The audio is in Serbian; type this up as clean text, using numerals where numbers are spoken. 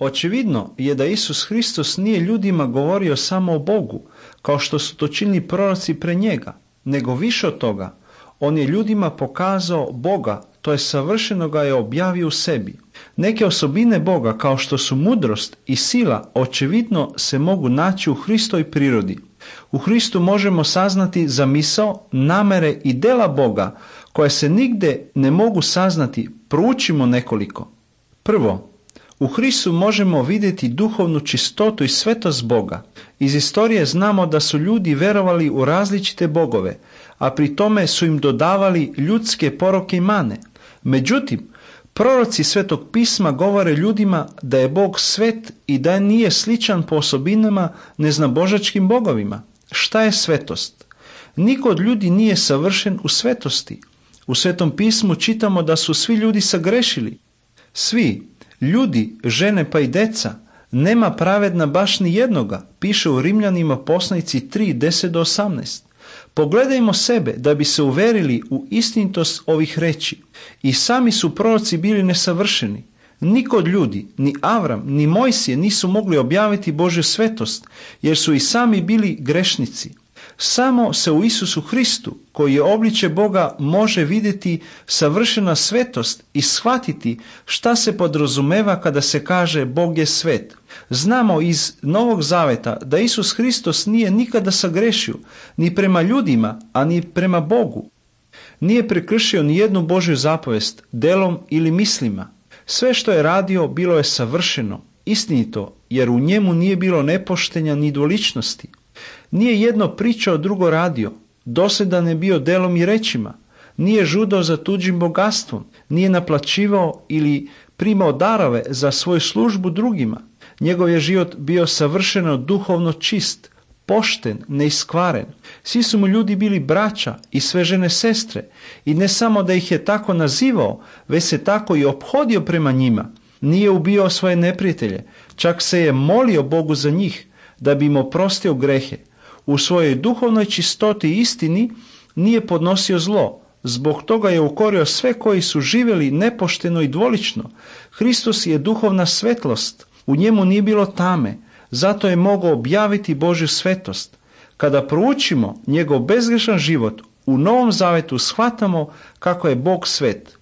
Očevidno je da Isus Hristos nije ljudima govorio samo o Bogu, kao što su to činili proroci pre njega, nego više od toga. On je ljudima pokazao Boga, to je savršeno ga je objavio u sebi. Neke osobine Boga, kao što su mudrost i sila, očevidno se mogu naći u Hristovoj prirodi. U Hristu možemo saznati zamisao, namere i dela Boga, koje se nigde ne mogu saznati. Proučimo nekoliko. Prvo, u Hristu možemo vidjeti duhovnu čistotu i svetost Boga. Iz istorije znamo da su ljudi verovali u različite bogove, a pri tome su im dodavali ljudske poroke i mane. Međutim, proroci Svetog pisma govore ljudima da je Bog svet i da nije sličan po osobinama neznabožačkim bogovima. Šta je svetost? Niko od ljudi nije savršen u svetosti. U Svetom pismu čitamo da su svi ljudi sagrešili. Svi, ljudi, žene pa i deca, nema pravedna baš ni jednoga, piše u Rimljanima poslanici 3, 10-18. Pogledajmo sebe da bi se uverili u istinitost ovih reči. I sami su proroci bili nesavršeni. Niko od ljudi, ni Avram, ni Mojsije nisu mogli objaviti Božju svetost, jer su i sami bili grešnici. Samo se u Isusu Hristu, koji je obliče Boga, može vidjeti savršena svetost i shvatiti šta se podrazumeva kada se kaže Bog je svet. Znamo iz Novog Zaveta da Isus Hristos nije nikada sagrešio, ni prema ljudima, a ni prema Bogu. Nije prekršio ni jednu Božju zapovest, delom ili mislima. Sve što je radio bilo je savršeno, istinito, jer u njemu nije bilo nepoštenja ni dvoličnosti. Nije jedno pričao, drugo radio, dosljedan je bio delom i rečima, nije žudao za tuđim bogatstvom, nije naplaćivao ili primao darove za svoju službu drugima. Njegov je život bio savršeno duhovno čist, pošten, neiskvaren. Svi su mu ljudi bili braća i sve žene sestre, i ne samo da ih je tako nazivao, već se tako i ophodio prema njima. Nije ubijao svoje neprijatelje, čak se je molio Bogu za njih, da bi im oprostio grehe. U svojoj duhovnoj čistoti i istini nije podnosio zlo. Zbog toga je ukorio sve koji su živjeli nepošteno i dvolično. Hristos je duhovna svetlost. U njemu nije bilo tame. Zato je mogao objaviti Božju svetost. Kada proučimo njegov bezgrešan život, u Novom Zavetu shvatamo kako je Bog svet.